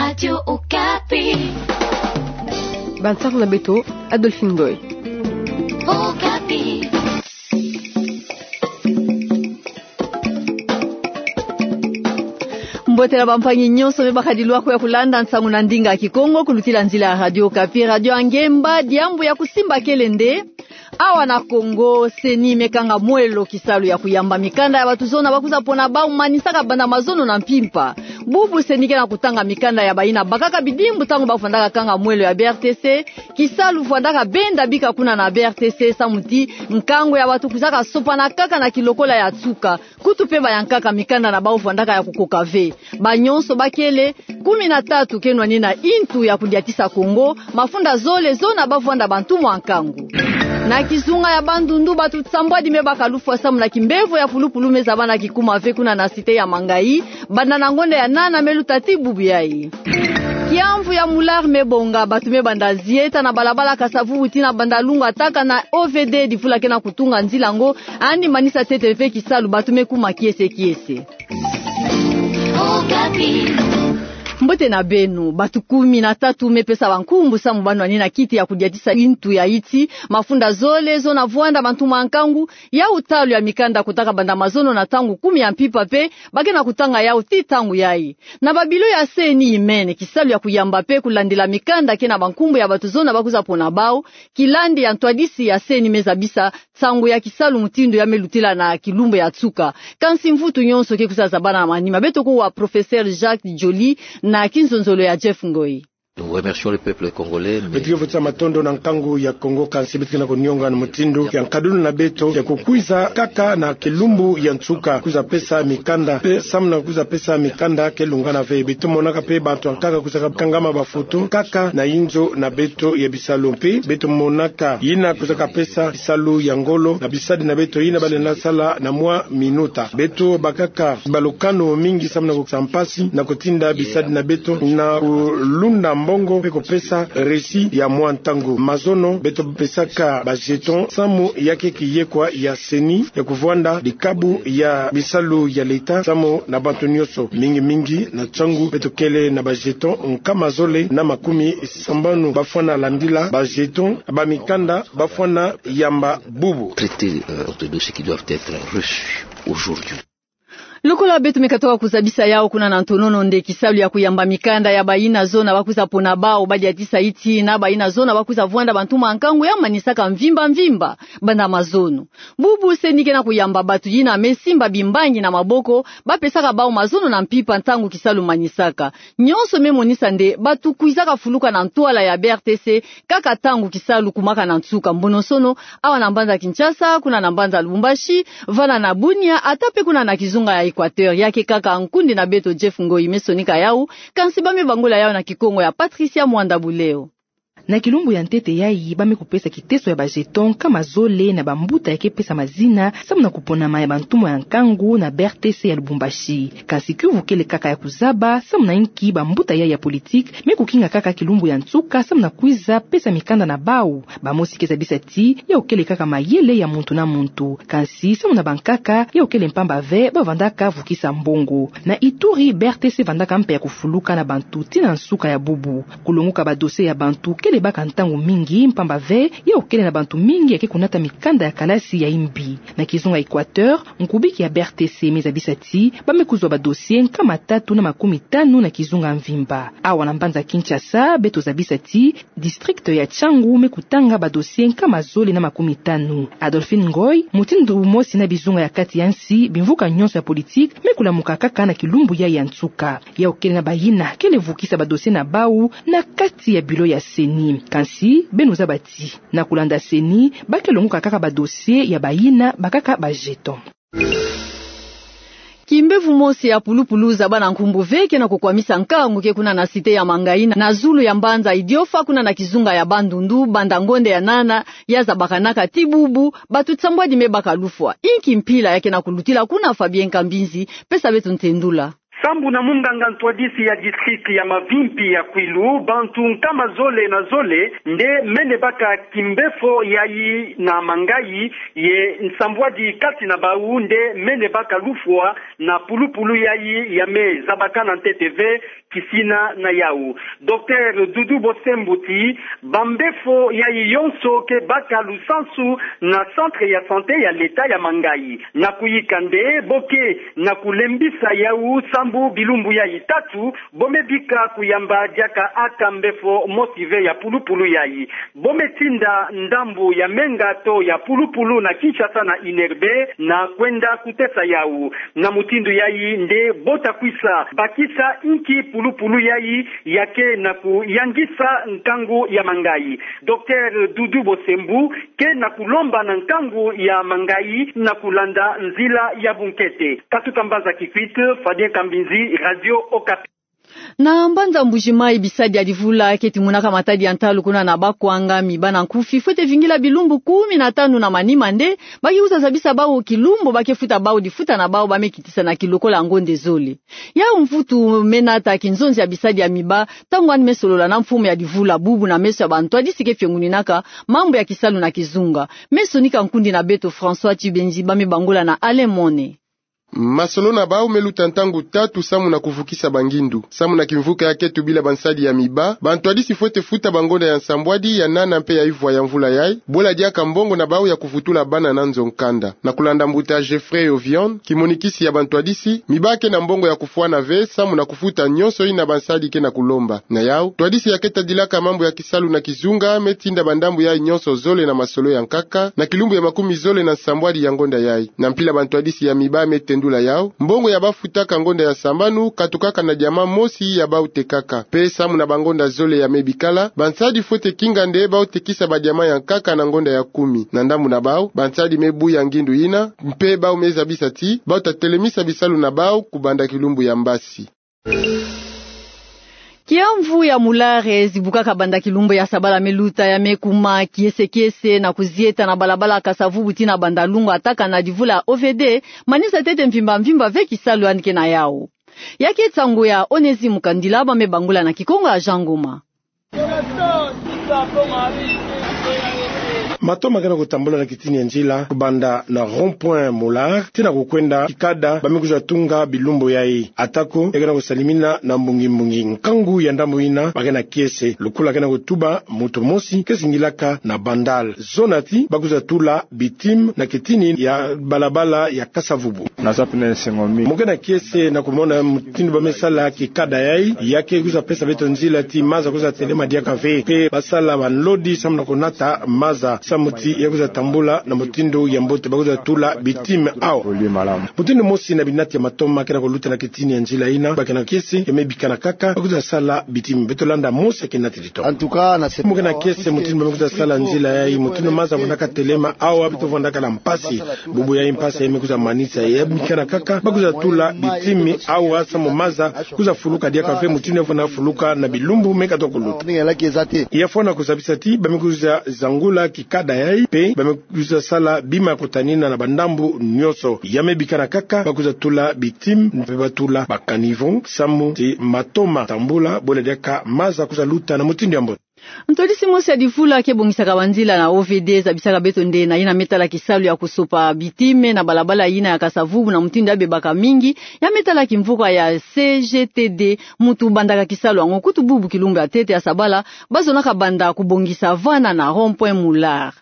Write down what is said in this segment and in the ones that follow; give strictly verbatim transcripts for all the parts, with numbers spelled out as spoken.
Radio Okapi. Bansango na beto, Adolphine Ngoy. Okapi. Mbote na bampangi nyonso me bakadilwa ko ya kulanda nsangu na ndinga ya Kikongo kulutila nzila ya Radio Okapi, radio ya ngemba, diambu ya kusimba kele nde awa na Kongo, CENI me kanga mwelo kisalu ya kuyamba mikanda ya bato zona bakwiza pona bau manisaka banda mazono na mpimpa. Bubu CENI ke na kutanga mikanda ya bayina bakaka bidimbu ntangu bavwandaka kanga mwelo ya BRTC, kisalu vwandaka benda bika kuna na BRTC samu ti nkangu ya bato kwizaka sopana kaka na kilokola ya nsuka. Kutu pe bayankaka mikanda na bau vwandaka ya kukoka ve. Banyonso bakele kumi na tatu ke nwanina intu ya kudiatisa Kongo, mafunda zole zona bavwanda bantu mwa nkangu. Na kizunga ya Bandundu, bato sambwadi me baka lufwa samu na kimbevo ya pulupulu me zabana kikuma ve kuna na cité ya Mangayi, banda na ngonda ya nana me luta ti bubu yayi. Kiamvu ya Moular me bonga, bato me banda zieta na balabala Kasa-Vubu tii na Bandalungwa, taka na OVD, difula ke na kutunga nzila ngo, yandi manisa ntete ve kisalu, bato me kuma kiese kiese. Mbote na beno. Bato kumi na tatu me pesa bankumbu samu ba nwanina kiti ya kudiatisa intu ya iti, mafunda zole zona vwanda bantu mwa nkangu, yau ntalu ya mikanda kotaka banda mazono na ntangu kumi ya mpimpa pe ba ke na kutanga yau tii ntangu yayi. Na babilo ya CENI imene, kisalu ya kuyamba pe kulandila mikanda ke na bankumbu ya bato zona bakwiza pona bau, kilandi ya ntwadisi ya CENI me zabisa nsangu ya kisalu mutindu ya me lutila na kilumbu ya nsuka. Kansi mvutu nyonso ke kwiza zabana na manima. Beto kuwa Professeur Jacques Joly na kinzonzolo ya Jeff Ngoy. Nous remercions le peuple congolais, mais... Beto ke vutisa matondo na nkangu ya Kongo, kansi beto ke na kunionga na mutindu ya nkadulu na beto ya kukwiza kaka na kilumbu ya nsuka kwiza pesa mikanda. Pe samu na kwiza pesa mikanda ke lungana ve. Beto monaka pe bato ya nkaka kwizaka kangama bafoto kaka na inzo na beto ya bisalu. Mpe beto monaka yina kwizaka pesa bisalu ya ngolo na bisadi na beto yina ba lenda sala na mwa minuta. Beto bakaka balukanu mingi samu na kukisa mpasi na kutinda bisadi na beto na kulunda mbongo mpe kupesa reçu ya mwa ntangu. Mazono beto pesaka ba jeton samu ya ke kiyekwa ya CENI ya kuvwanda dikabu ya bisalu ya leta samu na bantu nyonso, mingi mingi na ntangu beto kele na ba jeton nkama zole na makumi sambanu. Bafwana landila ba jeton, ba mikanda bafwana yamba bubu. Traiter, euh, de dossiers qui doivent être reçus aujourd'hui. Lokola beto me katoka kuzabisa yau kuna na ntonono, nde kisalu ya kuyamba mikanda ya bayina zona bakwiza pona bau, badiatisa iti na bayina zona bakwiza vwanda bantu mwa nkangu ya manisaka mvimba mvimba banda mazono. Bubu CENI ke na kuyamba bato yina me simba bimbangi na maboko, ba pesaka bau mazono na mpimpa ntangu kisalu manisaka. Nyonso me monisa nde bato kwizaka fuluka na ntwala ya BRTC kaka ntangu kisalu kumaka na nsuka. Mbonosono, awa na mbanza Kinshasa, kuna na mbanza Lubumbashi, vana na Bunia, ata pe kuna na kizunga ya Equateur, ya ke kaka nkundi na beto Jeff Ngoy me sonika yau, kansi ba me bangula yau na Kikongo ya Patricia Mwanda Buleo. Na kilumbu ya ntete yayi, ba me kupesa kiteso ya ba jeton nkama zole na bambuta ya ke pesa mazina samu na kuponama ya bantumwa ya nkangu na BRTC ya Lubumbashi. Kansi kiuvu kele kaka ya kuzaba samu na inki bambuta yayi ya politique me kukinga kaka kilumbu ya nsuka samu na kwiza pesa mikanda na bau. Bamosi ke zabisa ti yau kele kaka mayele ya muntu na muntu. Kansi samu na bankaka, yau kele mpamba ve, ba vandaka vukisa mbongo. Na Ituri, BRTC vandaka mpe ya kufuluka na bantu tii na nsuka ya bubu. Kulonguka ba dossiers ya bantu kele baka ntangu mingi, mpamba ve yau kele na bantu mingi ya ke kunata mikanda ya kalasi ya imbi. Na kizunga Equateur, nkubiki ya BRTC me zabisa ti ba me kuzwa ba dossiers nkama tatu na makumi tanu na kizunga mvimba. Awa na mbanza Kinshasa, beto zabisa ti district ya Tshangu me kutanga ba dossiers nkama zole na makumi tanu. Adolphine Ngoy, mutindu mosi na bizunga ya kati ya nsi, bimvuka nyonso ya politique me kulamuka kaka na kilumbu yayi ya nsuka. Yau kele na bayina kele vukisa ba dossiers na bau na kati ya bureau ya CENI. Kansi beno zaba ti, na kulanda CENI, ba ke longuka kaka ba dossiers ya bayina bakaka ba jeton. Kimbevo mosi ya pulupulu zabana nkumbu ve ke na kukwamisa nkangu ke kuna na cité ya Mangayi na zulu ya mbanza Idiofa kuna na kizunga ya Bandundu, banda ngonda ya nana ya zabakanaka tii bubu, bantu nsambwadi me baka lufwa. Inki mpila ya ke na kulutila kuna? Fabien Kambinzi pesa beto ntendula. Sambu na munganga ntwadisi ya district ya Mavimpi ya Kwilu, bantu nkama zole na zole nde mene baka kimbefo yayi na Mangayi, ye nsambwadi kati na bawu nde mene baka lufwa na pulupulu yayi ya me zabakana ntete ve kisina na yawu. Docteur Doudou Bosembo ti, bambefo yayi yonso ke baka lusansu na centre ya santé ya l'État ya Mangayi. Na kuyika nde bo ke na kulembisa yawu sambu bilumbu yayi tatu, bo me bika kuyamba diaka aka mbefo mosi ve ya pulupulu yayi. Bo me tinda ndambu ya menga to ya pulupulu na Kinshasa na Inerte na kwenda kutesa yawu. Na mutindu yayi nde bo ta kwisa bakisa inki pulupulu yayi ya ke na kuyangisa nkangu ya Mangayi. Docteur Doudou Bosembo ke na kulomba na nkangu ya Mangayi na kulanda nzila ya bunkete. Katuka Mbanza Kikwit, Fabien Kambinzi, Radio Okapi. Na mbanza Mbuji-Mayi, bisadi ya divula keti monaka matadi ya ntalu kuna na Bakwanga, miba na nkufi fwete vingila bilumbu kumi na tanu na manima nde ba ke kusa zabisa bawu kilumbu ba ke futa bawu difuta na bawu ba me kitisana kilokola ngonde zole. Yawu mvutu me nata kinzonzi ya bisadi ya miba ntangu yandi me solola na mfumu ya divula bubu na meso ya bantwadisi ke fionguninaka mambu ya kisalu na kizunga. Me sonika nkundi na beto François Tchibenzi, ba me bangula na Alain Mone. Masolo na bawu me luta ntangu tatu samu na kuvukisa bangindu. Samu na kimvuka ya ke tubila bansadi ya miba, bantwadisi fwete futa bangonda ya nsambwadi, ya nana mpe ya ivwa ya mvula yayi, bwela diaka mbongo na bawu ya kuvutula bana na nzo nkanda. Na kulanda mbuta Geoffrey Ovion, kimonikisi ya bantwadisi, miba ke na mbongo ya kufwana ve samu na kufuta nyonso yina bansadi ke na kulomba. Na yawu, ntwadisi ya ke tadilaka mambu ya kisalu na kizunga me tinda bandambu yayi nyonso zole na masolo ya nkaka na kilumbu ya makumi zole na nsambwadi ya ngonda yayi. Na mpila bantwadisi ya miba me tendula yawu, mbongo ya ba futaka ngonda ya sambanu katukaka na diamant mosi ya bawu tekaka. Mpe samu na bangonda zole ya me bikala, bansadi fwete kinga nde bawu tekisa badiamant ya nkaka na ngonda ya kumi. Na ndambu na bawu, bansadi me buya ngindu yina, mpe bawu me zabisa ti bawu ta telemisa bisalu na bawu kubanda kilumbu ya mbasi. Kiamvu ya Mulare zibukaka banda kilumbu ya sabala me luta, ya me kuma kiese kiese na kuzieta na balabala Kasa-Vubu tii na Bandalungwa, ataka na divula ya O V D, manisa ntete mvimba mvimba ve kisalu yandi ke na yawu. Ya ke nsangu ya Onésime Kandila, ba me bangula na Kikongo ya Jean Ngoma. Matoma ke na kutambula na kitini ya nzila kubanda na rond-point Mulare tii na kukwenda kikada ba me kwiza tunga bilumbu yayi. Atako ya ke na kusalimina na mbungi mbungi, nkangu ya ndambu yina ba ke na kiese. Lukula ke na kutuba muntu mosi ke singilaka na Bandal zona ti ba kwiza tula bitime na kitini ya balabala ya Kasa-Vubu. Naza pene sengo mi. Mu ke na kiese na kumona mutindu ba me sala kikada yayi, ya ke kwiza pesa beto nzila ti maza kwiza telema diaka ve. Mpe ba sala banlodi samu na kunata maza, samu ti ya kwiza tambula na mutindu ya mbote. Ba kwiza tula bitime awa. Mutindu mosi na binati ya matoma ke na kuluta na kitini ya nzila yina, ba ke na kiese ya me bikana kaka ba kwiza sala bitime. Beto landa mosi ya kinati. Mu ke na kiese mutindu ba me kwiza sala nzila yayi, mutindu maza vwandaka telema, awa beto vwandaka na mpasi. Bubu yayi mpasi ya me kwiza manisa, ya bikana kaka ba kwiza tula bitime awa samu maza kwiza fuluka diaka ve mutindu ya fwana fuluka na bilumbu me katuka kuluta. Ya fwana kuzabisa ti ba me kwiza zangula kikada yayi, mpe ba me kwiza sala bima ya kutanina na bandambu nyonso. Ya me bikana kaka ba kwiza tula bitime, mpe ba tula ba caniveau, samu ti matoma tambula, bwela diaka maza kwiza luta na mutindu ya mbote. Ntwadisi mosi ya divula ke bongisaka banzila na O V D zabisaka beto nde na yina me tala kisalu ya kusopa bitime na balabala yina ya Kasa-Vubu na mutindu ya bebaka mingi, ya me tala kimvuka ya C G T D, muntu bandaka kisalu yango. Kutu bubu kilumbu ya ntete ya sabala ba zonaka banda kubongisa vana na rond-point Mulare.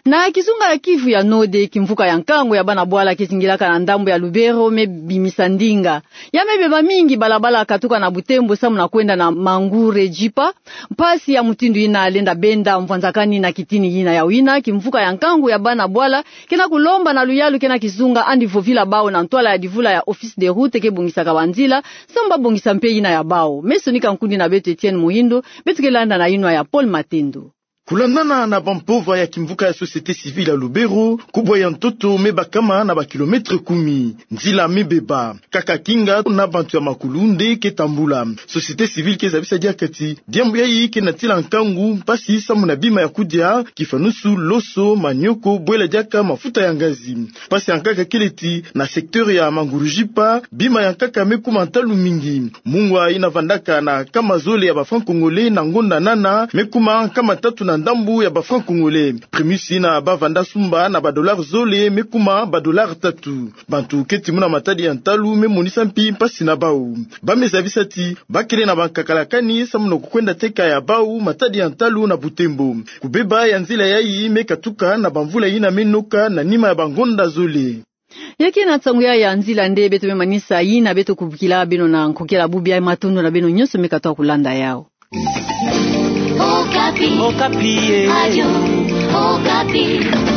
Na kizunga ya Kivu ya Nord, kimvuka ya nkangu ya bana bwala ke zingilaka na ndambu ya Lubero me bimisa ndinga. Ya me beba mingi balabala katuka na Butembo samu na kwenda na Mangure Jipa. Mpasi ya mutindu yina lenda benda mvwanzakani na kitini yina. Yawu yina kimvuka ya nkangu ya bana bwala ke na kulomba na luyalu ke na kizunga yandi vovila bawu na ntwala ya divula ya Office des Routes ke bongisaka banzila, samu ba bongisa mpe yina ya bawu. Me sonika nkundi na beto Etienne Muhindo, beto ke landa na yinwa ya Paul Matendo. Kulandana na bampova ya kimvuka ya société civile ya Lubero, kubwa ya ntoto me bakama na ba kilomètre kumi. Nzila me beba. Kaka kinga na bantu ya makulu nde ke tambula. Société civile ke zabisa diaka ti diambu yayi ke natila nkangu, mpasi samu na bima ya kudia, kifanusu, loso, manioko, bwela diaka mafuta ya ngazi. Mpasi ya nkaka kele ti, na secteur ya Mangurujipa, bima ya nkaka me kuma ntalu mingi. Mungwa ina vandaka na nkama zole ya ba francs congolais na ngonda nana, me kuma nkama tatu na ndambu ya ba francs congolais. Primus ina ba vanda sumba na ba dollars zole, me kuma ba dollars tatu. Bantu keti muna matadi ya ntalu me monisa mpi mpasi na bau. Ba me zabisa ti, ba kele na ba nkakalakani samu na kukwenda teka ya bau matadi ya ntalu na Butembo. Kubeba ya nzila yayi me katuka na bamvula ina me noka na nima ya bangonda zole. Ya ke na nsangu ya ya nzila nde beto me manisa, ina beto kubukila beno na nkokila bubu ya, matondo na beno nyonso me katoa kulanda yau. Okapi. Okapi, eh. Radio Okapi.